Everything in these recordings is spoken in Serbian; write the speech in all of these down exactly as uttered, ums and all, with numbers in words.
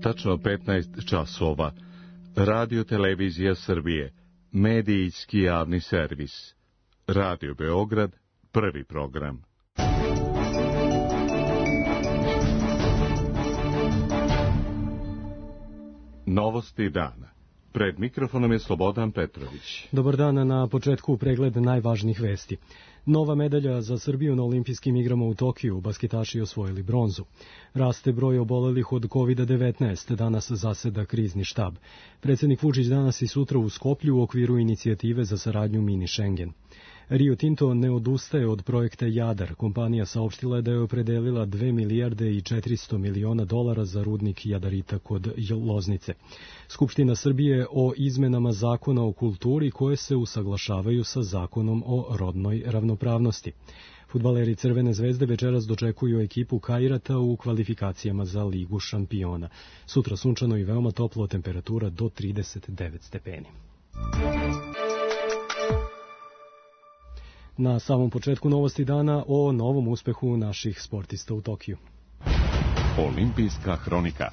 Tačno petnaest časova. Radio Televizija Srbije. Medijski javni servis. Radio Beograd, prvi program. Novosti dana. Pred mikrofonom je Slobodan Petrović. Dobar dan, na početku pregled najvažnijih vesti. Nova medalja za Srbiju na olimpijskim igrama u Tokiju, basketaši osvojili bronzu. Raste broj obolelih od kovid devetnaest, danas zaseda krizni štab. Predsjednik Vučić danas i sutra u Skoplju u okviru inicijative za saradnju Mini Schengen. Rio Tinto ne odustaje od projekta Jadar. Kompanija saopštila je da je opredelila dve milijarde i četiristo miliona dolara za rudnik jadarita kod Loznice. Skupština Srbije o izmenama zakona o kulturi koje se usaglašavaju sa zakonom o rodnoj ravnopravnosti. Fudbaleri Crvene zvezde večeras dočekuju ekipu Kairata u kvalifikacijama za Ligu šampiona. Sutra sunčano i veoma toplo, temperatura do trideset devet stepeni. Na samom početku novosti dana o novom uspehu naših sportista u Tokiju. Olimpijska hronika.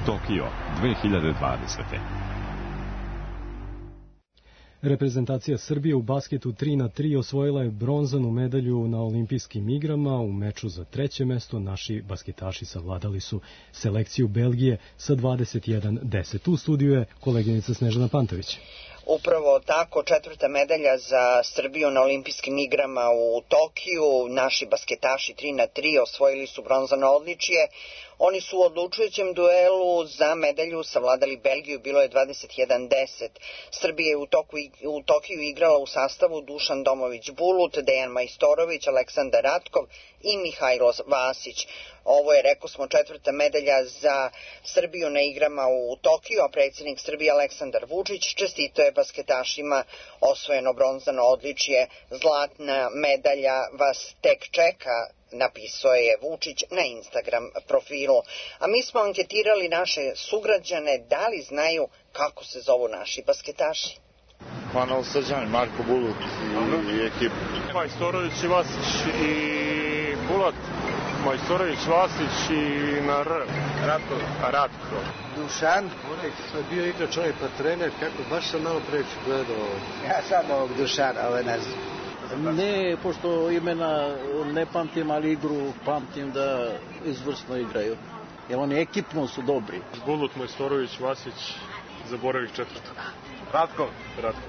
Tokio dve hiljade dvadesete. Reprezentacija Srbije u basketu tri na tri osvojila je bronzanu medalju na olimpijskim igrama. U meču za treće mesto naši basketaši savladali su selekciju Belgije sa dvadeset jedan deset. U studiju je koleginica Snežana Pantović. Upravo tako, četvrta medalja za Srbiju na olimpijskim igrama u Tokiju. Naši basketaši tri na tri osvojili su bronzano odličje. Oni su u odlučujućem duelu za medalju savladali Belgiju, bilo je dvadeset jedan deset. Srbija je u, toku, u Tokiju igrala u sastavu Dušan Domović-Bulut, Dejan Majstorović, Aleksandar Ratkov i Mihajlo Vasić. Ovo je, rekao smo, četvrta medalja za Srbiju na igrama u Tokiju, a predsjednik Srbije Aleksandar Vučić čestitao je basketašima osvojeno bronzano odličje. Zlatna medalja vas tek čeka, napisao je Vučić na Instagram profilu. A mi smo anketirali naše sugrađane da li znaju kako se zovu naši basketaši. Manol Srđan, Marko Bulut i, i ekip. Majstorović i Vasić i Bulat. Majstorović, Vasić i na R. Ratko. Ratko. Dušan. Onek sam bio igrač, ovaj pa trener, kako baš sam malo preći gledao. Ja sam ovog Dušana, ove ne znam. Ne, pošto imena ne pamtim, ali igru pamtim da izvrsno igraju. Jer oni ekipno su dobri. Bulut, Majstorović, Vasić, zaboravih četvrtog. Ratko. Ratko.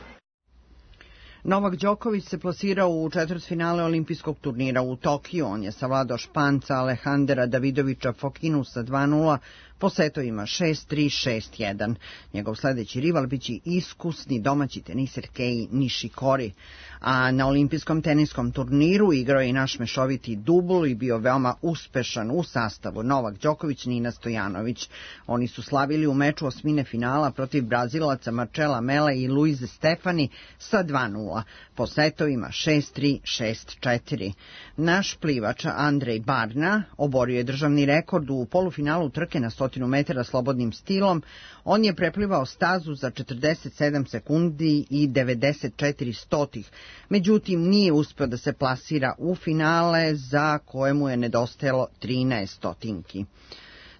Novak Đoković se plasirao u četvrtfinale olimpijskog turnira u Tokiju. On je savladao Španca Alejandra Davidovića Fokinusa dva nula po setovima šest tri šest jedan. Njegov sledeći rival biće iskusni domaći teniser Kei Nishikori. A na olimpijskom teniskom turniru igrao je i naš mešoviti dubl i bio veoma uspešan u sastavu Novak Đoković, Nina Stojanović. Oni su slavili u meču osmine finala protiv Brazilaca Marcela Mela i Luize Stefani sa dva nula po setovima šest tri šest četiri. Naš plivač Andrej Barna oborio je državni rekord u polufinalu trke na stotinu metara slobodnim stilom. On je preplivao stazu za četrdeset sedam sekundi i devedeset četiri stotih. Međutim, nije uspeo da se plasira u finale za koje mu je nedostajalo trinaest stotinki.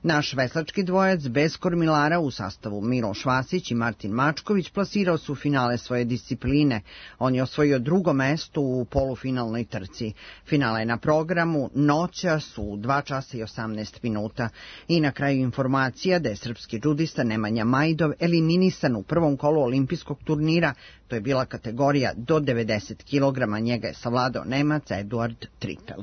Naš veslački dvojac bez kormilara u sastavu Miloš Vasić i Martin Mačković plasirao su u finale svoje discipline. On je osvojio drugo mesto u polufinalnoj trci. Finale je na programu noćas u dva časa i osamnaest minuta. I na kraju informacija da je srpski džudista Nemanja Majdov eliminisan u prvom kolu olimpijskog turnira. To je bila kategorija do devedeset kilograma. Njega je savladao Nemac Eduard Tripel.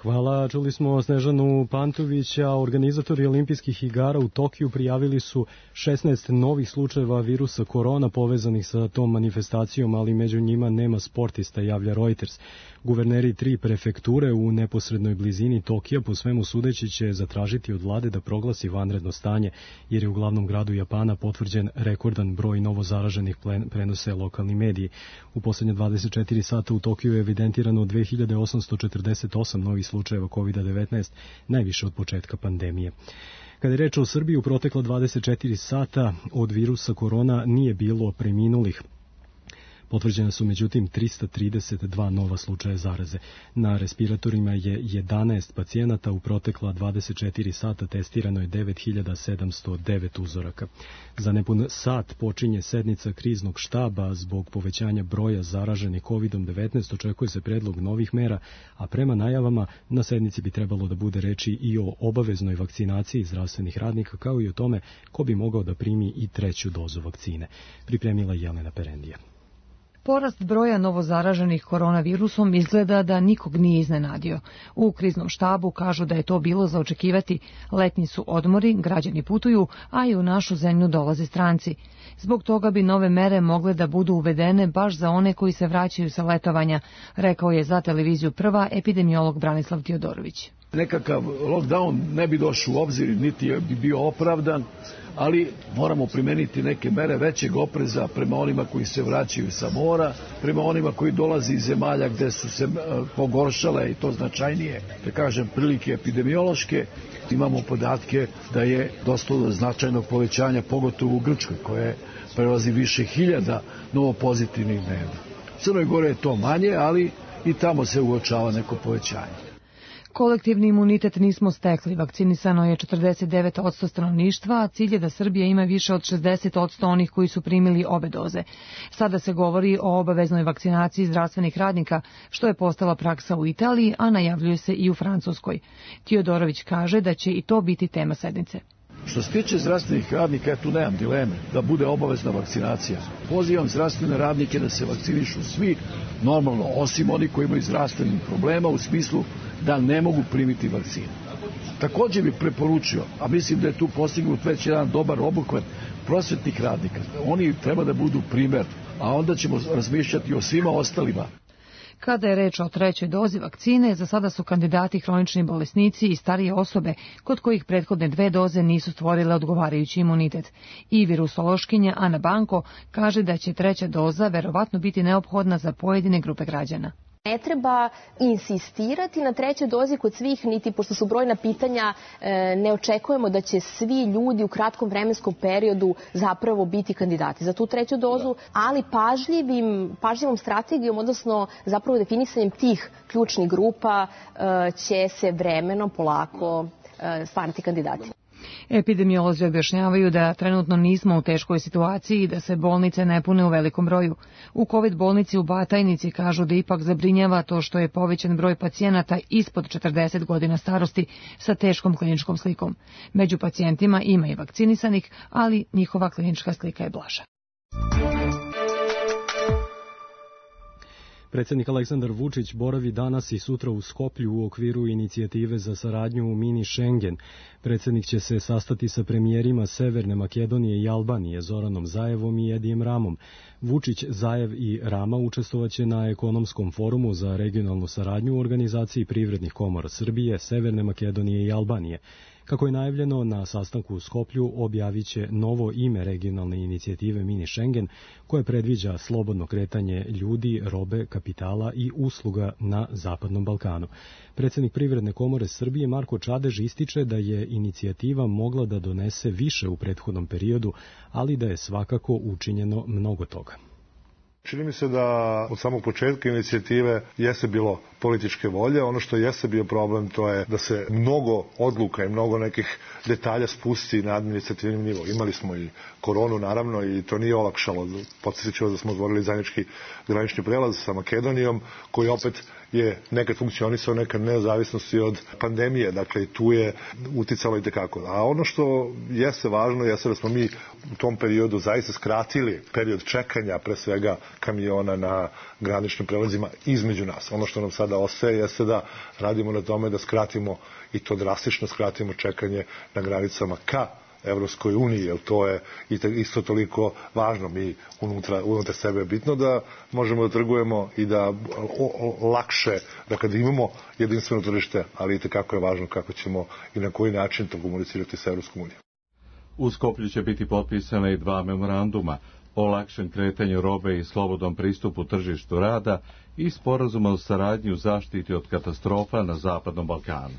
Hvala, čuli smo Snežanu Pantovića. Organizatori olimpijskih igara u Tokiju prijavili su šesnaest novih slučajeva virusa korona povezanih sa tom manifestacijom, ali među njima nema sportista, javlja Reuters. Guverneri tri prefekture u neposrednoj blizini Tokija po svemu sudeći će zatražiti od vlade da proglasi vanredno stanje, jer je u glavnom gradu Japana potvrđen rekordan broj novozaraženih, prenose lokalni mediji. U poslednje dvadeset četiri sata u Tokiju je evidentirano dve hiljade osamsto četrdeset osam novih slučajeva kovid devetnaest, najviše od početka pandemije. Kada je reč o Srbiji, u protekla dvadeset četiri sata od virusa korona nije bilo preminulih. Potvrđena su međutim trista trideset dva nova slučaja zaraze. Na respiratorima je jedanaest pacijenata, u protekla dvadeset četiri sata testirano je devet hiljada sedamsto devet uzoraka. Za nepun sat počinje sednica kriznog štaba zbog povećanja broja zaraženih kovidom devetnaest, očekuje se predlog novih mera, a prema najavama na sednici bi trebalo da bude reči i o obaveznoj vakcinaciji zdravstvenih radnika, kao i o tome ko bi mogao da primi i treću dozu vakcine. Pripremila Jelena Perendija. Porast broja novozaraženih koronavirusom izgleda da nikog nije iznenadio. U kriznom štabu kažu da je to bilo za očekivati. Letnji su odmori, građani putuju, a i u našu zemlju dolaze stranci. Zbog toga bi nove mere mogle da budu uvedene baš za one koji se vraćaju sa letovanja, rekao je za televiziju Prva epidemiolog Branislav Tiodorović. Nekakav lockdown ne bi došao u obzir, niti bi bio opravdan, ali moramo primeniti neke mere većeg opreza prema onima koji se vraćaju sa mora, prema onima koji dolaze iz zemalja gde su se pogoršale i to značajnije, da kažem, prilike epidemiološke. Imamo podatke da je došlo do značajnog povećanja, pogotovo u Grčkoj, koje prelazi više hiljada novopozitivnih dnevno. U Crnoj Gori je to manje, ali i tamo se uočava neko povećanje. Kolektivni imunitet nismo stekli. Vakcinisano je četrdeset devet posto stanovništva, a cilj je da Srbija ima više od šezdeset posto onih koji su primili obe doze. Sada se govori o obaveznoj vakcinaciji zdravstvenih radnika, što je postala praksa u Italiji, a najavljuje se i u Francuskoj. Tiodorović kaže da će i to biti tema sednice. Što se tiče zdravstvenih radnika, ja tu nemam dileme da bude obavezna vakcinacija. Pozivam zdravstvene radnike da se vakcinišu svi, normalno, osim oni koji imaju zdravstvenih problema u smislu da ne mogu primiti vakcinu. Također bih preporučio, a mislim da je tu postignut već jedan dobar obuhvat prosvetnih radnika. Oni treba da budu primer, a onda ćemo razmišljati o svima ostalima. Kada je reč o trećoj dozi vakcine, za sada su kandidati hronični bolesnici i starije osobe kod kojih prethodne dve doze nisu stvorile odgovarajući imunitet. I virusološkinja Ana Banko kaže da će treća doza verovatno biti neophodna za pojedine grupe građana. Ne treba insistirati na trećoj dozi kod svih, niti pošto su brojna pitanja, ne očekujemo da će svi ljudi u kratkom vremenskom periodu zapravo biti kandidati za tu treću dozu, ali pažljivim, pažljivom strategijom, odnosno zapravo definisanjem tih ključnih grupa će se vremenom polako stvarati kandidati. Epidemiolozi objašnjavaju da trenutno nismo u teškoj situaciji i da se bolnice ne pune u velikom broju. U COVID bolnici u Batajnici kažu da ipak zabrinjava to što je povećan broj pacijenata ispod četrdeset godina starosti sa teškom kliničkom slikom. Među pacijentima ima i vakcinisanih, ali njihova klinička slika je blaža. Predsjednik Aleksandar Vučić boravi danas i sutra u Skoplju u okviru inicijative za saradnju u mini Schengen. Predsjednik će se sastati sa premijerima Severne Makedonije i Albanije, Zoranom Zaevom i Edijem Ramom. Vučić, Zaev i Rama učestvovaće na ekonomskom forumu za regionalnu saradnju u organizaciji privrednih komora Srbije, Severne Makedonije i Albanije. Kako je najavljeno, na sastanku u Skoplju objavit će novo ime regionalne inicijative Mini Schengen, koje predviđa slobodno kretanje ljudi, robe, kapitala i usluga na Zapadnom Balkanu. Predsjednik Privredne komore Srbije Marko Čadež ističe da je inicijativa mogla da donese više u prethodnom periodu, ali da je svakako učinjeno mnogo toga. Čini mi se da od samog početka inicijative jeste bilo političke volje. Ono što jeste bio problem, to je da se mnogo odluka i mnogo nekih detalja spusti na administrativni nivo. Imali smo i koronu, naravno, i to nije olakšalo. Podsjetit ću da smo otvorili zajednički granični prelaz sa Makedonijom, koji opet je nekad funkcionisao, nekad nezavisnosti od pandemije, dakle i tu je uticalo i tekako. A ono što jeste važno jeste da smo mi u tom periodu zaista skratili period čekanja, pre svega kamiona na graničnim prelazima između nas. Ono što nam sada ostaje jeste da radimo na tome da skratimo i to drastično skratimo čekanje na granicama ka Evropskoj uniji, jer to je isto toliko važno. Mi unutra, unutra sebe je bitno da možemo da trgujemo i da o, o, lakše, da kada imamo jedinstveno tržište, ali i tekako je važno kako ćemo i na koji način to komunicirati sa Evropskom unijom. U Skoplju će biti potpisane i dva memoranduma o lakšem kretanju robe i slobodnom pristupu tržištu rada i sporazuma o saradnji u zaštiti od katastrofa na Zapadnom Balkanu.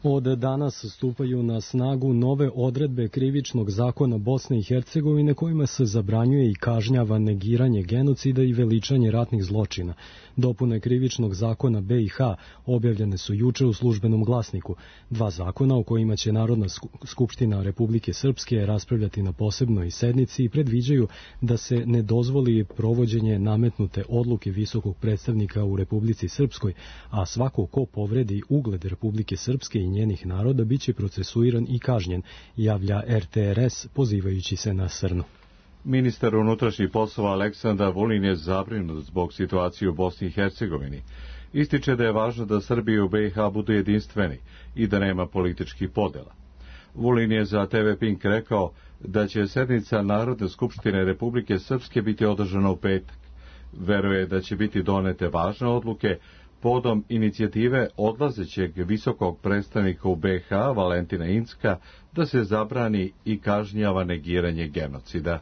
Od danas stupaju na snagu nove odredbe krivičnog zakona Bosne i Hercegovine kojima se zabranjuje i kažnjava negiranje genocida i veličanje ratnih zločina. Dopune krivičnog zakona B i H objavljene su juče u Službenom glasniku. Dva zakona o kojima će Narodna skupština Republike Srpske raspravljati na posebnoj sednici i predviđaju da se ne dozvoli provođenje nametnute odluke visokog predstavnika u Republici Srpskoj, a svako ko povredi ugled Republike Srpske i njenih naroda biće procesuiran i kažnjen, javlja R T R S pozivajući se na Srnu. Ministar unutrašnjih poslova Aleksandar Vulin je zabrinut zbog situacije u Bosni i Hercegovini. Ističe da je važno da Srbija u B i H budu jedinstveni i da nema političkih podela. Vulin je za T V Pink rekao da će sednica Narodne skupštine Republike Srpske biti održana u petak. Veruje da će biti donete važne odluke podom inicijative odlazećeg visokog predstavnika u B i H Valentina Incka da se zabrani i kažnjava negiranje genocida.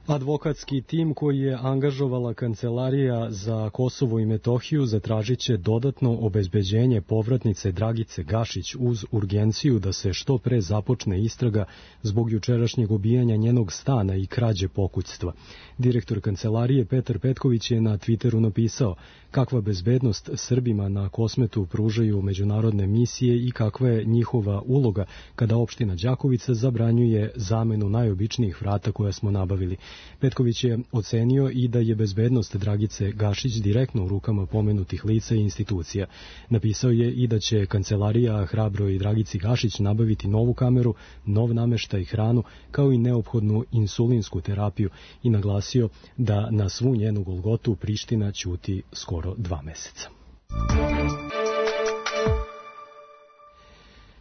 Advokatski tim koji je angažovala Kancelarija za Kosovo i Metohiju zatražit će dodatno obezbeđenje povratnice Dragice Gašić uz urgenciju da se što pre započne istraga zbog jučerašnjeg ubijanja njenog stana i krađe pokućstva. Direktor Kancelarije Petar Petković je na Twitteru napisao kakva bezbednost Srbima na Kosmetu pružaju međunarodne misije i kakva je njihova uloga kada opština Đakovica zabranjuje zamenu najobičnijih vrata koja smo nabavili. Petković je ocenio i da je bezbednost Dragice Gašić direktno u rukama pomenutih lica i institucija. Napisao je i da će Kancelarija hrabroj Dragici Gašić nabaviti novu kameru, nov nameštaj i hranu, kao i neophodnu insulinsku terapiju i naglasio da na svu njenu golgotu Priština ćuti skoro dva meseca.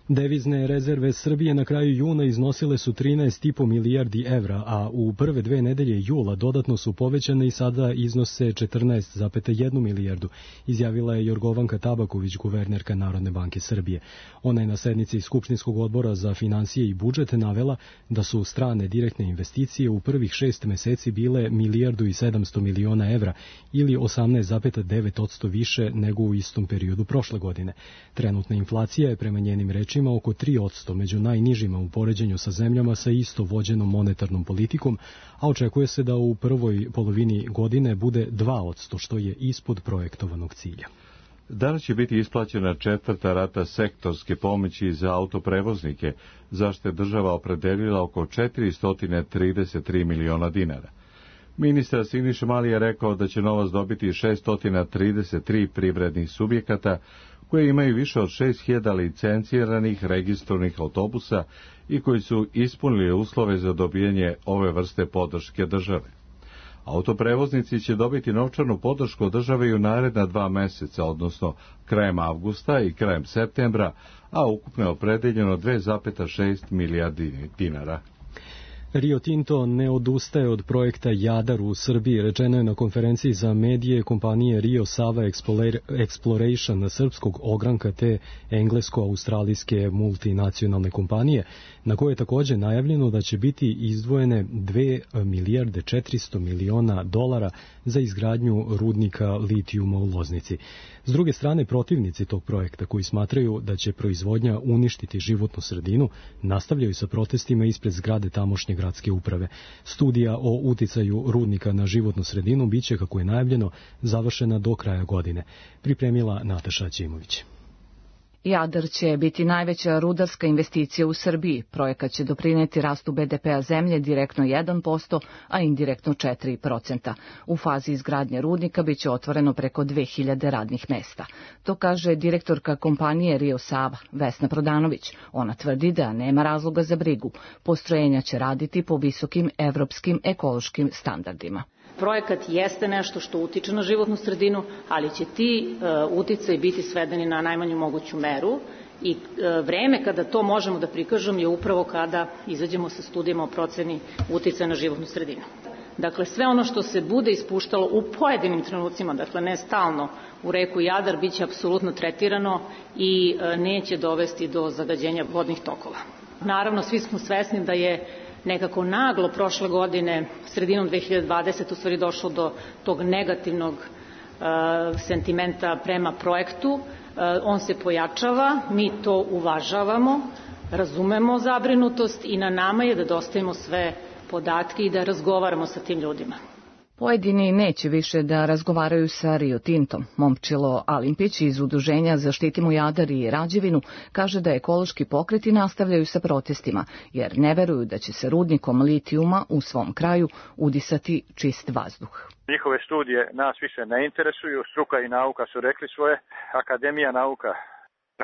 Devizne rezerve Srbije na kraju juna iznosile su trinaest i po milijardi evra, a u prve dve nedelje jula dodatno su povećane i sada iznose četrnaest zarez jednu milijardu, izjavila je Jorgovanka Tabaković, guvernerka Narodne banke Srbije. Ona je na sednici Skupštinskog odbora za finansije i budžet navela da su strane direktne investicije u prvih šest meseci bile milijardu i sedamsto miliona evra ili osamnaest zarez devet posto više nego u istom periodu prošle godine. Trenutna inflacija je prema njenim rečima oko tri posto, među najnižima u poređenju sa zemljama sa isto vođenom monetarnom politikom, a očekuje se da u prvoj polovini godine bude dva posto, što je ispod projektovanog cilja. Danas će biti isplaćena četvrta rata sektorske pomoći za autoprevoznike, za što je država opredelila oko četiristo trideset tri miliona dinara. Ministar Siniša Mali je rekao da će novac dobiti šesto trideset tri privrednih subjekata koje imaju više od šest hiljada licenciranih registrovanih autobusa i koji su ispunili uslove za dobijanje ove vrste podrške države. Autoprevoznici će dobiti novčanu podršku od države i u naredna dva meseca, odnosno krajem avgusta i krajem septembra, a ukupno je opredeljeno dve zarez šest milijardi dinara. Rio Tinto ne odustaje od projekta Jadar u Srbiji, rečeno je na konferenciji za medije kompanije Rio Sava Exploration srpskog ogranka te englesko-australijske multinacionalne kompanije, na koje je također najavljeno da će biti izdvojene dve milijarde četiristo miliona dolara za izgradnju rudnika litijuma u Loznici. S druge strane, protivnici tog projekta, koji smatraju da će proizvodnja uništiti životnu sredinu, nastavljaju sa protestima ispred zgrade tamošnje gradske uprave. Studija o uticaju rudnika na životnu sredinu biće, kako je najavljeno, završena do kraja godine. Pripremila Nataša Ćimović. Jadar će biti najveća rudarska investicija u Srbiji. Projekat će doprineti rastu B D P-a zemlje direktno jedan posto, a indirektno četiri posto. U fazi izgradnje rudnika biće otvoreno preko dve hiljade radnih mesta. To kaže direktorka kompanije Rio Sava, Vesna Prodanović. Ona tvrdi da nema razloga za brigu. Postrojenja će raditi po visokim evropskim ekološkim standardima. Projekat jeste nešto što utiče na životnu sredinu, ali će ti uh, uticaji biti svedeni na najmanju moguću meru i uh, vreme kada to možemo da prikažemo je upravo kada izađemo sa studijama o proceni uticaja na životnu sredinu. Dakle, sve ono što se bude ispuštalo u pojedinim trenucima, dakle ne stalno, u reku Jadar biće apsolutno tretirano i uh, neće dovesti do zagađenja vodnih tokova. Naravno, svi smo svesni da je nekako naglo prošle godine, sredinom dve hiljade dvadesete. u stvari došlo do tog negativnog uh, sentimenta prema projektu, on se pojačava, mi to uvažavamo, razumemo zabrinutost i na nama je da dostavimo sve podatke i da razgovaramo sa tim ljudima. Pojedini neće više da razgovaraju sa Rio Tintom. Momčilo Alimpić iz Udruženja Zaštitimo Jadar i Rađevinu kaže da ekološki pokreti nastavljaju sa protestima, jer ne veruju da će se rudnikom litijuma u svom kraju udisati čist vazduh. Njihove studije nas više ne interesuju, struka i nauka su rekli svoje, akademija nauka.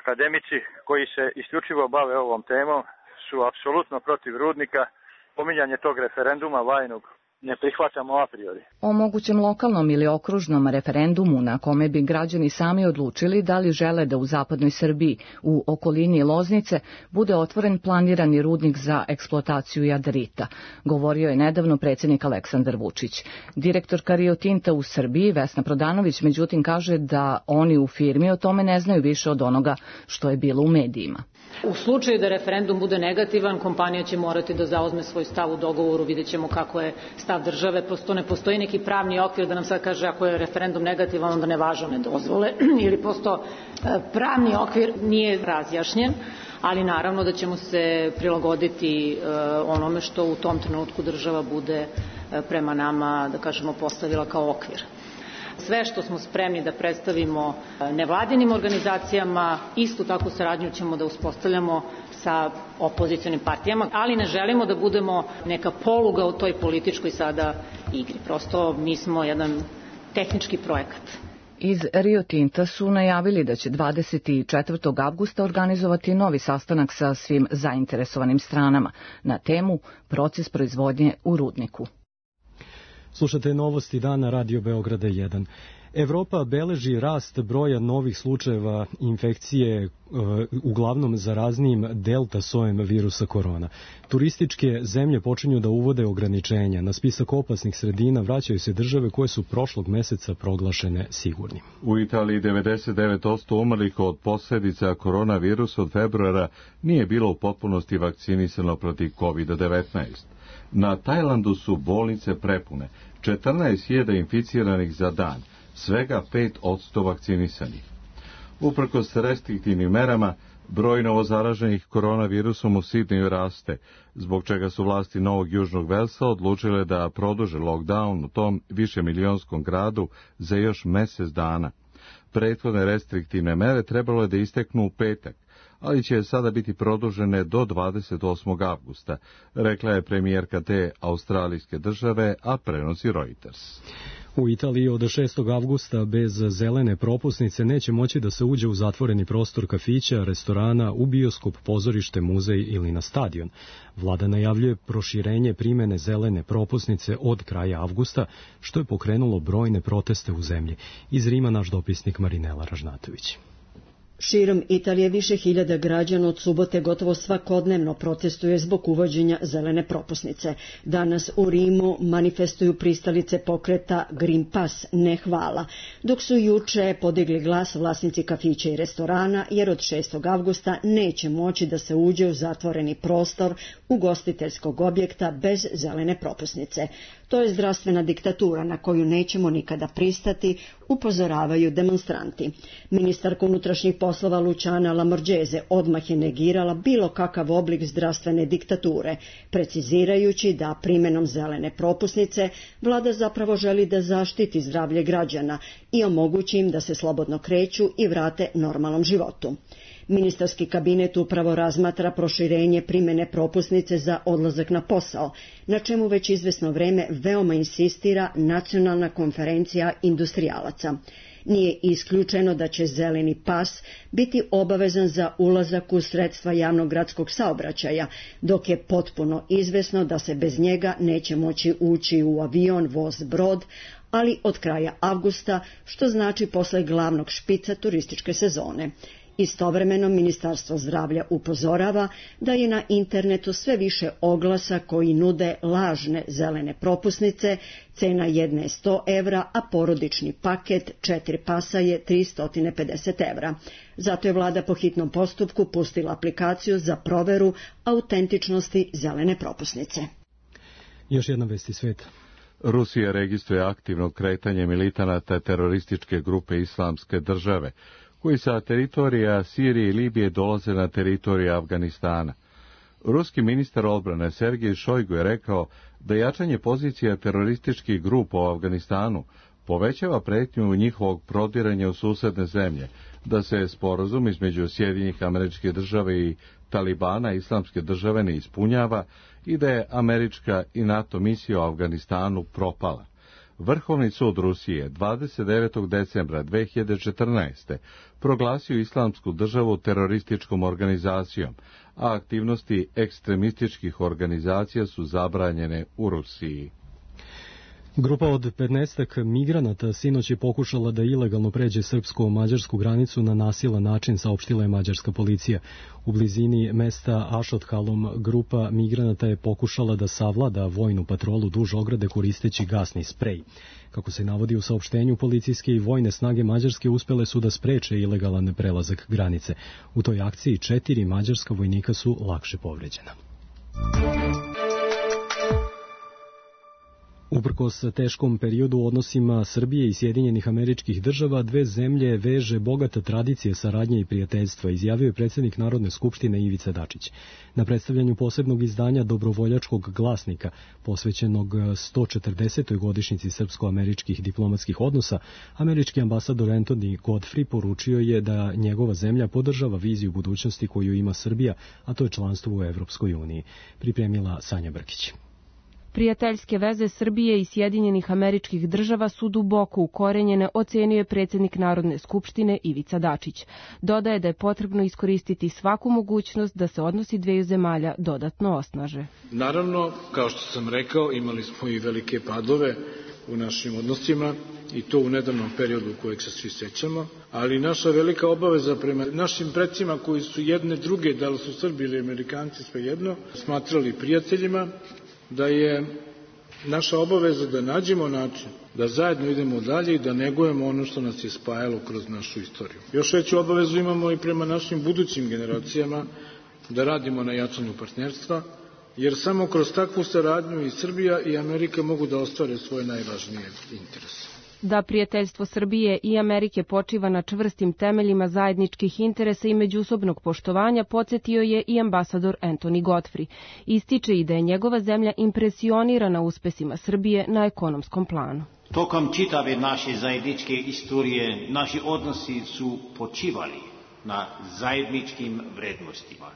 Akademici koji se isključivo bave ovom temom su apsolutno protiv rudnika. Pominjanje tog referenduma vajnog ne prihvatamo a priori. O mogućem lokalnom ili okružnom referendumu na kome bi građani sami odlučili da li žele da u zapadnoj Srbiji, u okolini Loznice, bude otvoren planirani rudnik za eksploataciju jadarita, govorio je nedavno predsjednik Aleksandar Vučić. Direktorka Rio Tinta u Srbiji, Vesna Prodanović, međutim kaže da oni u firmi o tome ne znaju više od onoga što je bilo u medijima. U slučaju da referendum bude negativan, kompanija će morati da zauzme svoj stav u dogovoru, vidjet ćemo kako je stav države, prosto ne postoji neki pravni okvir da nam sad kaže ako je referendum negativan, onda ne važe one dozvole, ili prosto pravni okvir nije razjašnjen, ali naravno da ćemo se prilagoditi onome što u tom trenutku država bude prema nama, da kažemo, postavila kao okvir. Sve što smo spremni da predstavimo nevladinim organizacijama, istu takvu saradnju ćemo da uspostavljamo sa opozicionim partijama, ali ne želimo da budemo neka poluga u toj političkoj sada igri. Prosto mi smo jedan tehnički projekat. Iz Rio Tinta su najavili da će dvadeset četvrtog avgusta organizovati novi sastanak sa svim zainteresovanim stranama na temu proces proizvodnje u rudniku. Slušate novosti dana Radio Beograda jedan. Evropa beleži rast broja novih slučajeva infekcije e, uglavnom zaraznijim delta sojem virusa korona. Turističke zemlje počinju da uvode ograničenja. Na spisak opasnih sredina vraćaju se države koje su prošlog meseca proglašene sigurnim. U Italiji devedeset devet posto umrlih od posljedica koronavirusa od februara nije bilo u potpunosti vakcinisano protiv kovid devetnaest. Na Tajlandu su bolnice prepune, četrnaest hiljada inficiranih za dan, svega pet posto vakcinisanih. Uprkos restriktivnim merama, broj novozaraženih koronavirusom u Sidneju raste, zbog čega su vlasti Novog Južnog Velsa odlučile da produže lockdown u tom višemilijonskom gradu za još mjesec dana. Prethodne restriktivne mere trebalo je da isteknu u petak, ali će sada biti produžene do dvadeset osmog avgusta, rekla je premijerka te australijske države, a prenosi Reuters. U Italiji od šestog avgusta bez zelene propusnice neće moći da se uđe u zatvoreni prostor kafića, restorana, u bioskop, pozorište, muzej ili na stadion. Vlada najavljuje proširenje primene zelene propusnice od kraja avgusta, što je pokrenulo brojne proteste u zemlji. Iz Rima naš dopisnik Marinela Ražnatović. Širom Italije više hiljada građana od subote gotovo svakodnevno protestuje zbog uvođenja zelene propusnice. Danas u Rimu manifestuju pristalice pokreta Green Pass, ne hvala, dok su juče podigli glas vlasnici kafića i restorana, jer od šestog avgusta neće moći da se uđe u zatvoreni prostor ugostiteljskog objekta bez zelene propusnice. To je zdravstvena diktatura na koju nećemo nikada pristati, upozoravaju demonstranti. Ministarka unutrašnjih poslova Luciana Lamorgese odmah je negirala bilo kakav oblik zdravstvene diktature, precizirajući da primenom zelene propusnice vlada zapravo želi da zaštiti zdravlje građana i omogući im da se slobodno kreću i vrate normalnom životu. Ministarski kabinet upravo razmatra proširenje primene propusnice za odlazak na posao, na čemu već izvesno vreme veoma insistira Nacionalna konferencija industrijalaca. Nije isključeno da će zeleni pas biti obavezan za ulazak u sredstva javnog gradskog saobraćaja, dok je potpuno izvesno da se bez njega neće moći ući u avion, voz, brod, ali od kraja avgusta, što znači posle glavnog špica turističke sezone. Istovremeno Ministarstvo zdravlja upozorava da je na internetu sve više oglasa koji nude lažne zelene propusnice, cena jedne je sto evra, a porodični paket četiri pasa je tristo pedeset evra. Zato je vlada po hitnom postupku pustila aplikaciju za proveru autentičnosti zelene propusnice. Još jedna vest iz sveta. Rusija registruje aktivno kretanje militanata terorističke grupe Islamske države, koji sa teritorija Sirije i Libije dolaze na teritoriju Afganistana. Ruski ministar odbrane Sergej Šojgu je rekao da jačanje pozicija terorističkih grupa u Afganistanu povećava pretnju njihovog prodiranja u susedne zemlje, da se sporazum između Sjedinjenih Američkih Država i Talibana Islamske države ne ispunjava i da je američka i NATO misija u Afganistanu propala. Vrhovni sud Rusije dvadeset devetog decembra dve hiljade četrnaeste. proglasio Islamsku državu terorističkom organizacijom, a aktivnosti ekstremističkih organizacija su zabranjene u Rusiji. Grupa od petnaestak migranata sinoć je pokušala da ilegalno pređe srpsko-mađarsku granicu na nasilan način, saopštila je mađarska policija. U blizini mesta Ašothalom grupa migranata je pokušala da savlada vojnu patrolu duž ograde koristeći gasni sprej. Kako se navodi u saopštenju, policijske i vojne snage Mađarske uspele su da spreče ilegalan prelazak granice. U toj akciji četiri mađarska vojnika su lakše povređena. Uprkos teškom periodu u odnosima Srbije i Sjedinjenih Američkih Država, dve zemlje veže bogata tradicije saradnje i prijateljstva, izjavio je predsjednik Narodne skupštine Ivica Dačić. Na predstavljanju posebnog izdanja Dobrovoljačkog glasnika, posvećenog sto četrdesetoj godišnjici srpsko-američkih diplomatskih odnosa, američki ambasador Anthony Godfrey poručio je da njegova zemlja podržava viziju budućnosti koju ima Srbija, a to je članstvo u Evropskoj uniji. Pripremila Sanja Brkić. Prijateljske veze Srbije i Sjedinjenih Američkih Država su duboko ukorenjene, ocenio je predsjednik Narodne skupštine Ivica Dačić. Dodaje da je potrebno iskoristiti svaku mogućnost da se odnosi dveju zemalja dodatno osnaže. Naravno, kao što sam rekao, imali smo i velike padove u našim odnosima i to u nedavnom periodu kojeg se svi sećamo, ali naša velika obaveza prema našim precima koji su jedne druge, da li su Srbi ili Amerikanci, svejedno, smatrali prijateljima, da je naša obaveza da nađemo način da zajedno idemo dalje i da negujemo ono što nas je spajalo kroz našu istoriju. Još veću obavezu imamo i prema našim budućim generacijama da radimo na jačanju partnerstva, jer samo kroz takvu saradnju i Srbija i Amerika mogu da ostvare svoje najvažnije interese. Da prijateljstvo Srbije i Amerike počiva na čvrstim temeljima zajedničkih interesa i međusobnog poštovanja, podsjetio je i ambasador Anthony Godfrey. Ističe i da je njegova zemlja impresionirana uspesima Srbije na ekonomskom planu. Tokom čitave naše zajedničke istorije naši odnosi su počivali na zajedničkim vrednostima.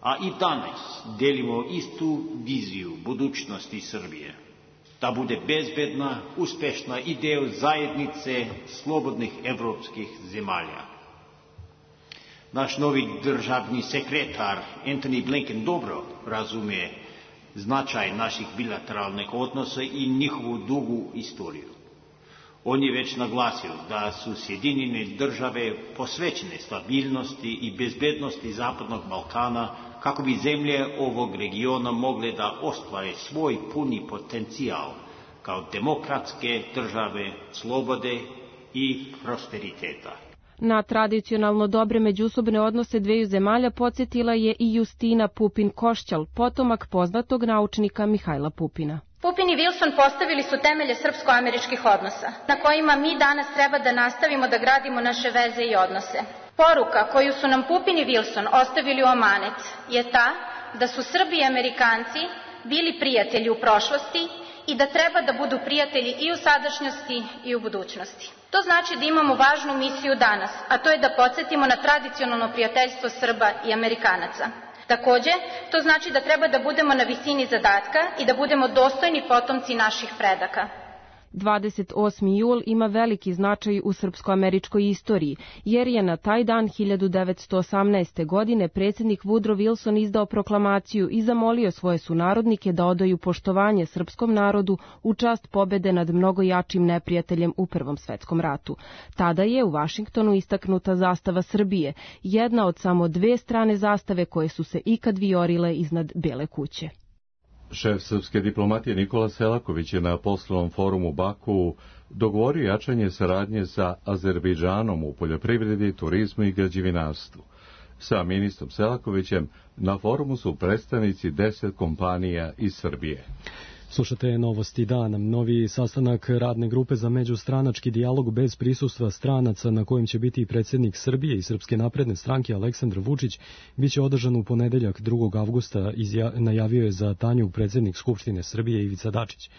A i danas delimo istu viziju budućnosti Srbije. Da bude bezbedna, uspešna i deo zajednice slobodnih evropskih zemalja. Naš novi državni sekretar Antony Blinken dobro razume značaj naših bilateralnih odnosa i njihovu dugu istoriju. On je već naglasio da su Sjedinjene države posvećene stabilnosti i bezbednosti Zapadnog Balkana kako bi zemlje ovog regiona mogle da ostvare svoj puni potencijal kao demokratske države slobode i prosperiteta. Na tradicionalno dobre međusobne odnose dveju zemalja podsjetila je i Justina Pupin-Košćal, potomak poznatog naučnika Mihajla Pupina. Pupin i Wilson postavili su temelje srpsko-američkih odnosa, na kojima mi danas treba da nastavimo da gradimo naše veze i odnose. Poruka koju su nam Pupin i Wilson ostavili u amanet je ta da su Srbi i Amerikanci bili prijatelji u prošlosti i da treba da budu prijatelji i u sadašnjosti i u budućnosti. To znači da imamo važnu misiju danas, a to je da podsjetimo na tradicionalno prijateljstvo Srba i Amerikanaca. Takođe, to znači da treba da budemo na visini zadatka i da budemo dostojni potomci naših predaka. dvadeset osmi jul ima veliki značaj u srpsko-američkoj istoriji, jer je na taj dan hiljadu devetsto osamnaeste. godine predsjednik Woodrow Wilson izdao proklamaciju i zamolio svoje sunarodnike da odaju poštovanje srpskom narodu u čast pobede nad mnogo jačim neprijateljem u Prvom svetskom ratu. Tada je u Vašingtonu istaknuta zastava Srbije, jedna od samo dve strane zastave koje su se ikad vijorile iznad Bele kuće. Šef srpske diplomatije Nikola Selaković je na poslovnom forumu Baku dogovorio jačanje saradnje sa Azerbejdžanom u poljoprivredi, turizmu i građevinarstvu. Sa ministrom Selakovićem na forumu su predstavnici deset kompanija iz Srbije. Slušate Novosti dana. Novi sastanak radne grupe za međustranački dijalog bez prisustva stranaca, na kojem će biti i predsjednik Srbije i Srpske napredne stranke Aleksandar Vučić, biće održan u ponedeljak drugog avgusta, izja, najavio je za Tanjug predsjednik Skupštine Srbije Ivica Dačić.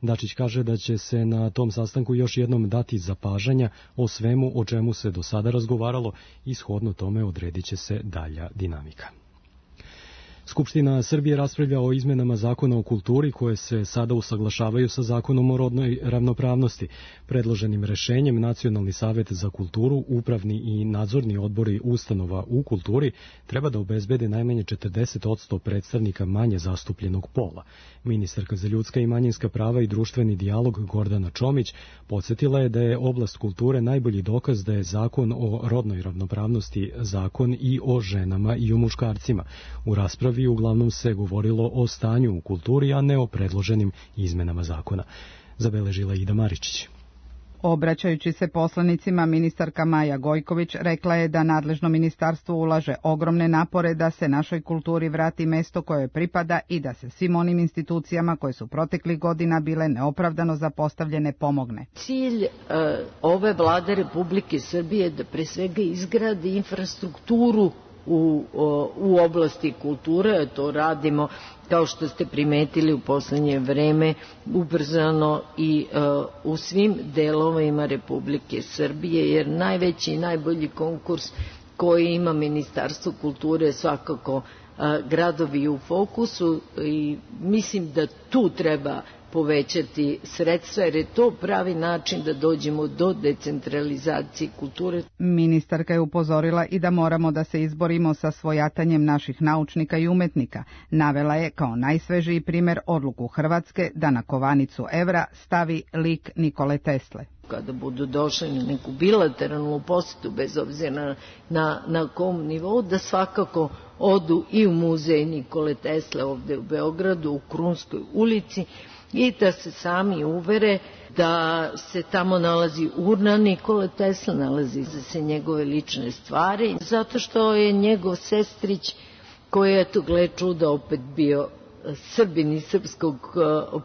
Dačić kaže da će se na tom sastanku još jednom dati zapažanja o svemu o čemu se do sada razgovaralo i shodno tome odredit će se dalja dinamika. Skupština Srbije raspravlja o izmenama zakona o kulturi koje se sada usaglašavaju sa zakonom o rodnoj ravnopravnosti. Predloženim rešenjem Nacionalni savet za kulturu, upravni i nadzorni odbori ustanova u kulturi treba da obezbede najmanje četrdeset posto predstavnika manje zastupljenog pola. Ministarka za ljudska i manjinska prava i društveni dijalog Gordana Čomić podsjetila je da je oblast kulture najbolji dokaz da je zakon o rodnoj ravnopravnosti zakon i o ženama i o muškarcima. U raspravi uglavnom se govorilo o stanju u kulturi, a ne o predloženim izmenama zakona. Zabeležila Ida Maričić. Obraćajući se poslanicima, ministarka Maja Gojković rekla je da nadležno ministarstvo ulaže ogromne napore da se našoj kulturi vrati mesto koje pripada i da se svim onim institucijama koje su proteklih godina bile neopravdano zapostavljene pomogne. Cilj uh, ove vlade Republike Srbije je da pre svega izgradi infrastrukturu U, u oblasti kulture, to radimo, kao što ste primetili, u poslednje vreme ubrzano i uh, u svim delovima Republike Srbije, jer najveći i najbolji konkurs koji ima Ministarstvo kulture je svakako uh, gradovi u fokusu i mislim da tu treba povećati sredstva, jer je to pravi način da dođemo do decentralizacije kulture. Ministarka je upozorila i da moramo da se izborimo sa svojatanjem naših naučnika i umetnika. Navela je kao najsvežiji primer odluku Hrvatske da na kovanicu evra stavi lik Nikole Tesle. Kada budu došli na neku bilateralnu posetu, bez obzira na, na, na kom nivou, da svakako odu i u muzej Nikole Tesle ovde u Beogradu, u Krunskoj ulici, i da se sami uvere da se tamo nalazi urna Nikole Tesla, nalazi se njegove lične stvari, zato što je njegov sestrić, koji je, to gle čuda, opet bio Srbin iz srpskog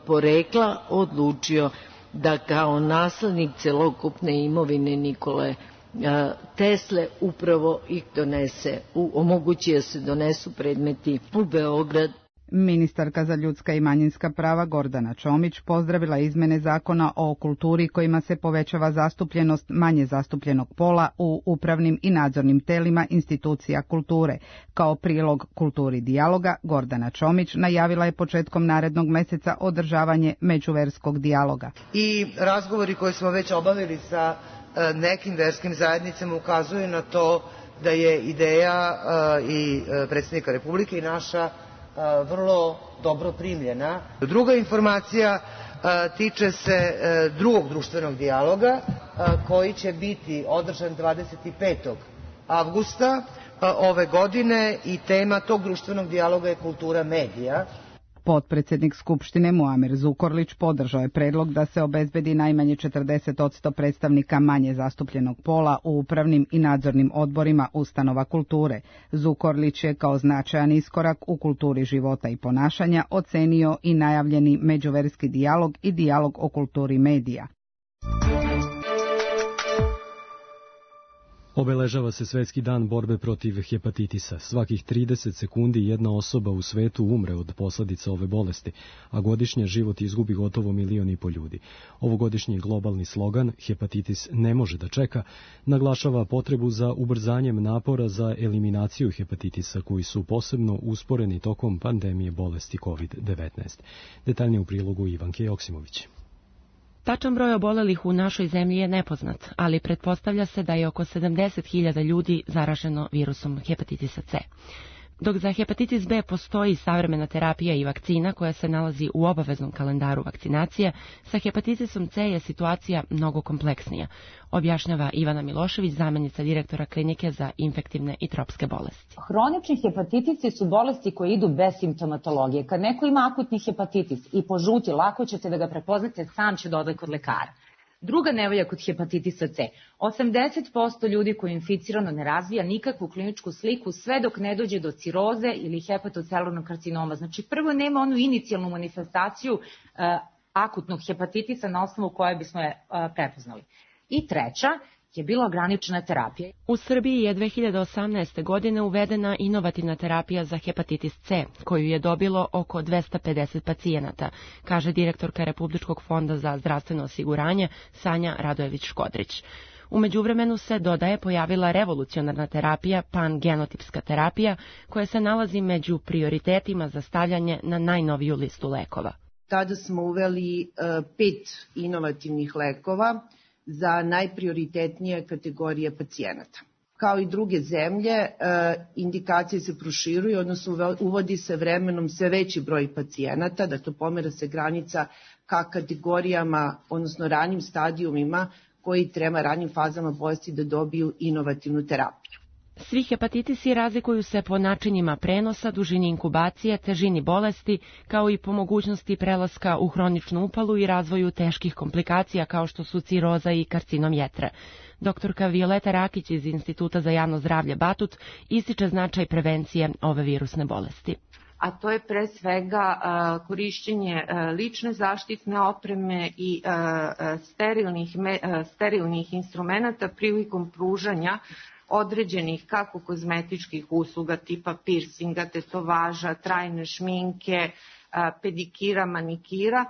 porekla, odlučio da kao naslednik celokupne imovine Nikole Tesle upravo ih donese, omogući da se donesu predmeti u Beograd. Ministarka za ljudska i manjinska prava Gordana Čomić pozdravila izmene zakona o kulturi kojima se povećava zastupljenost manje zastupljenog pola u upravnim i nadzornim telima institucija kulture. Kao prilog kulturi dijaloga, Gordana Čomić najavila je početkom narednog meseca održavanje međuverskog dijaloga. I razgovori koje smo već obavili sa nekim verskim zajednicama ukazuju na to da je ideja i predsjednika Republike i naša vrlo dobro primljena. Druga informacija tiče se drugog društvenog dijaloga koji će biti održan dvadeset petog avgusta ove godine i tema tog društvenog dijaloga je kultura medija. Potpredsednik Skupštine Muamer Zukorlić podržao je predlog da se obezbedi najmanje četrdeset posto predstavnika manje zastupljenog pola u upravnim i nadzornim odborima ustanova kulture. Zukorlić je kao značajan iskorak u kulturi života i ponašanja ocenio i najavljeni međuverski dijalog i dijalog o kulturi medija. Obeležava se Svetski dan borbe protiv hepatitisa. Svakih trideset sekundi jedna osoba u svetu umre od posledica ove bolesti, a godišnje život izgubi gotovo milion i po ljudi. Ovogodišnji globalni slogan "Hepatitis ne može da čeka" naglašava potrebu za ubrzanjem napora za eliminaciju hepatitisa koji su posebno usporeni tokom pandemije bolesti kovid devetnaest. Detaljnije u prilogu Ivanke Joksimović. Tačan broj obolelih u našoj zemlji je nepoznat, ali pretpostavlja se da je oko sedamdeset hiljada ljudi zaraženo virusom hepatitisa C. Dok za hepatitis B postoji savremena terapija i vakcina koja se nalazi u obaveznom kalendaru vakcinacije, sa hepatitisom C je situacija mnogo kompleksnija, objašnjava Ivana Milošević, zamjenica direktora klinike za infektivne i tropske bolesti. Hronični hepatitisi su bolesti koje idu bez simptomatologije. Kad neko ima akutni hepatitis i požuti, lako ćete da ga prepoznate, sam će da ode kod lekara. Druga nevolja kod hepatitisa C. osamdeset posto ljudi koji je inficirano ne razvija nikakvu kliničku sliku sve dok ne dođe do ciroze ili hepatocelularnog karcinoma. Znači prvo nema onu inicijalnu manifestaciju uh, akutnog hepatitisa na osnovu koje bismo je uh, prepoznali. I treća je bila ograničena terapija. U Srbiji je dve hiljade osamnaeste. godine uvedena inovativna terapija za hepatitis C, koju je dobilo oko dvesta pedeset pacijenata, kaže direktorka Republičkog fonda za zdravstveno osiguranje Sanja Radojević-Škodrić. U međuvremenu se, dodaje, pojavila revolucionarna terapija, pangenotipska terapija, koja se nalazi među prioritetima za stavljanje na najnoviju listu lekova. Tada smo uveli uh, pet inovativnih lekova za najprioritetnije kategorije pacijenata. Kao i druge zemlje, indikacije se proširuju, odnosno uvodi se vremenom sve veći broj pacijenata, da to pomera se granica ka kategorijama, odnosno ranijim stadijumima koji treba ranijim fazama bolesti da dobiju inovativnu terapiju. Svi hepatitisi razlikuju se po načinima prenosa, dužini inkubacije, težini bolesti, kao i po mogućnosti prelaska u hroničnu upalu i razvoju teških komplikacija kao što su ciroza i karcinom jetre. Doktorka Violeta Rakić iz Instituta za javno zdravlje Batut ističe značaj prevencije ove virusne bolesti. A to je pre svega uh, korišćenje uh, lične zaštitne opreme i uh, sterilnih, me, uh, sterilnih instrumenta prilikom pružanja određenih kako kozmetičkih usluga tipa piercinga, tetovaža, trajne šminke, pedikira, manikira,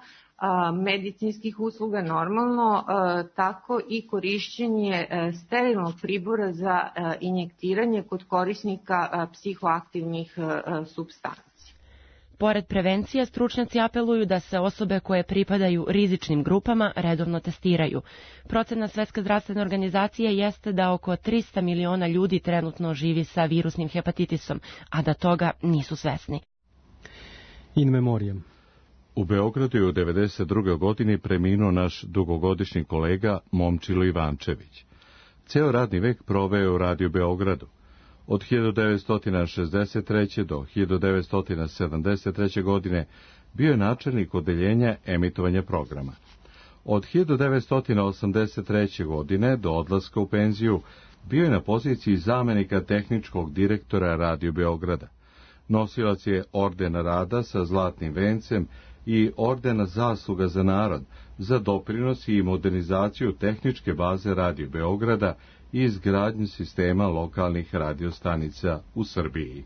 medicinskih usluga normalno, tako i korišćenje sterilnog pribora za injektiranje kod korisnika psihoaktivnih supstanci. Pored prevencije, stručnjaci apeluju da se osobe koje pripadaju rizičnim grupama redovno testiraju. Procena Svetske zdravstvene organizacije jeste da oko trista miliona ljudi trenutno živi sa virusnim hepatitisom, a da toga nisu svesni. In memoriam. U Beogradu je u devedeset drugoj. godini preminuo naš dugogodišnji kolega Momčilo Ivančević. Ceo radni vek proveo u Radio Beogradu. Od hiljadu devetsto šezdeset treće. do hiljadu devetsto sedamdeset treće. godine bio je načelnik odeljenja emitovanja programa. Od hiljadu devetsto osamdeset treće. godine do odlaska u penziju bio je na poziciji zamenika tehničkog direktora Radio Beograda. Nosilac je ordena rada sa zlatnim vencem i ordena zasluga za narod, za doprinos i modernizaciju tehničke baze Radio Beograda i izgradnju sistema lokalnih radiostanica u Srbiji.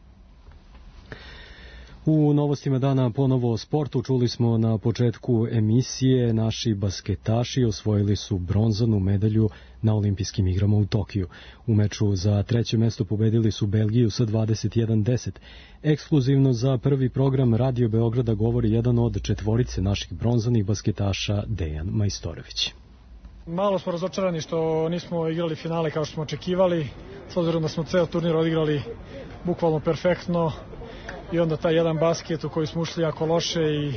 U novostima dana ponovo o sportu čuli smo na početku emisije naši basketaši osvojili su bronzanu medalju na olimpijskim igrama u Tokiju. U meču za treće mesto pobedili su Belgiju sa dvadeset jedan deset. Ekskluzivno za prvi program Radio Beograda govori jedan od četvorice naših bronzanih basketaša, Dejan Majstorović. Malo smo razočarani što nismo igrali finale kao što smo očekivali, s obzirom da smo ceo turnir odigrali bukvalno perfektno i onda taj jedan basket u koji smo ušli jako loše i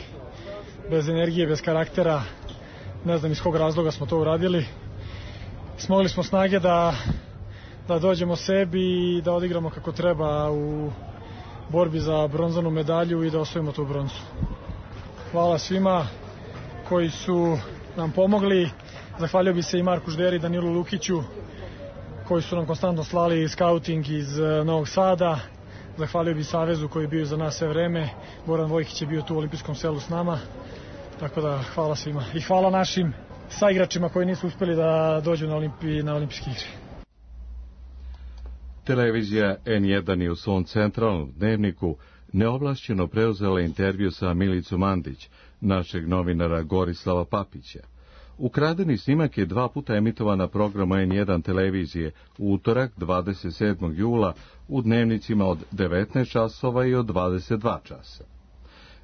bez energije, bez karaktera, ne znam iz kog razloga smo to uradili. Smogli smo snage da, da dođemo sebi i da odigramo kako treba u borbi za bronzanu medalju i da osvojimo tu bronzu. Hvala svima koji su nam pomogli. Zahvalio bi se i Marku Žderi i Danilu Lukiću koji su nam konstantno slali skauting iz Novog Sada. Zahvalio bi Savezu koji je bio za nas sve vreme. Boran Vojkić je bio tu u olimpijskom selu s nama. Tako da hvala svima. I hvala našim saigračima koji nisu uspeli da dođu na, Olimpi, na olimpijske igre. Televizija en jedan je u svom centralnom dnevniku neovlašćeno preuzela intervju sa Milicom Mandić, našeg novinara Gorislava Papića. Ukradeni snimak je dva puta emitovan na programu en jedan televizije u utorak dvadeset sedmog jula u dnevnicima od devetnaest časova i od dvadeset dva časa.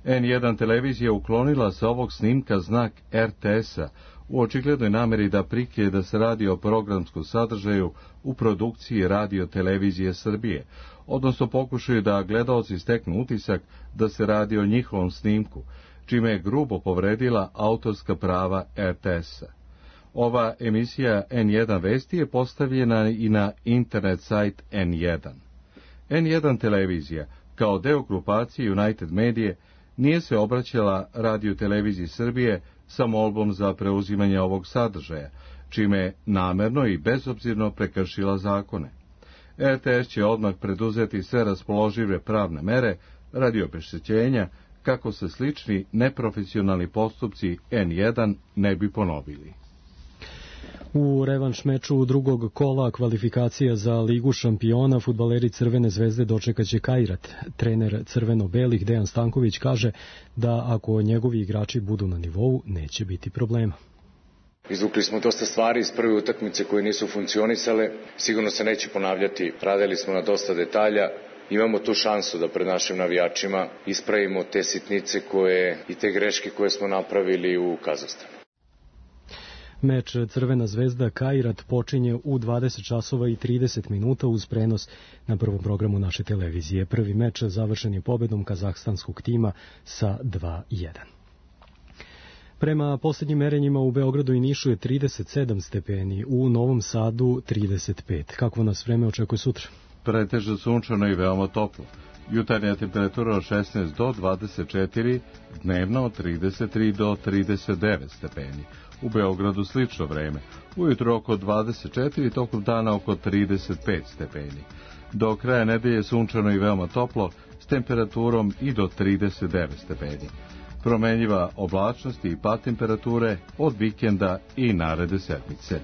en jedan televizija uklonila sa ovog snimka znak er te es-a u očiglednoj nameri da prikrije da se radi o programskom sadržaju u produkciji Radio televizije Srbije, odnosno pokušaju da gledaoci steknu utisak da se radi o njihovom snimku, čime je grubo povredila autorska prava er te es-a. Ova emisija en jedan Vesti je postavljena i na internet sajt en jedan. en jedan televizija, kao deo grupacije United Medije, nije se obraćala Radio televiziji Srbije sa molbom za preuzimanje ovog sadržaja, čime je namerno i bezobzirno prekršila zakone. R T S će odmah preduzeti sve raspoložive pravne mere radi obeštećenja kako se slični neprofesionalni postupci N jedan ne bi ponovili. U revanš meču drugog kola kvalifikacija za Ligu šampiona fudbaleri Crvene zvezde dočekaće Kairat. Trener crveno-belih Dejan Stanković kaže da ako njegovi igrači budu na nivou, neće biti problema. Izvukli smo dosta stvari iz prve utakmice koje nisu funkcionisale, sigurno se neće ponavljati, radili smo na dosta detalja, imamo tu šansu da pred našim navijačima ispravimo te sitnice koje i te greške koje smo napravili u Kazahstanu. Meč Crvena zvezda Kairat počinje u dvadeset časova i trideset minuta uz prenos na prvom programu naše televizije. Prvi meč završen je pobedom kazahstanskog tima sa dva jedan. Prema poslednjim merenjima u Beogradu i Nišu je trideset sedam stepeni, u Novom Sadu trideset pet. Kakvo nas vreme očekuje sutra? Pretežno sunčano i veoma toplo. Jutarnja temperatura od šesnaest do dvadeset četiri, dnevno od trideset tri do trideset devet stepeni. U Beogradu slično vreme. Ujutro oko dvadeset četiri, tokom dana oko trideset pet stepeni. Do kraja nedelje sunčano i veoma toplo, s temperaturom i do trideset devet stepeni. Promenljiva oblačnost i pad temperature od vikenda i naredne sedmice.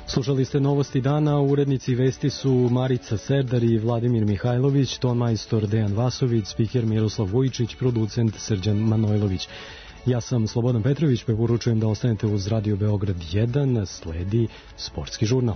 Slušali ste novosti dana, urednici vesti su Marica Serdar i Vladimir Mihajlović, ton majstor Dejan Vasović, spiker Miroslav Vujičić, producent Srđan Manojlović. Ja sam Slobodan Petrović, preporučujem da ostanete uz Radio Beograd jedan, sledi sportski žurnal.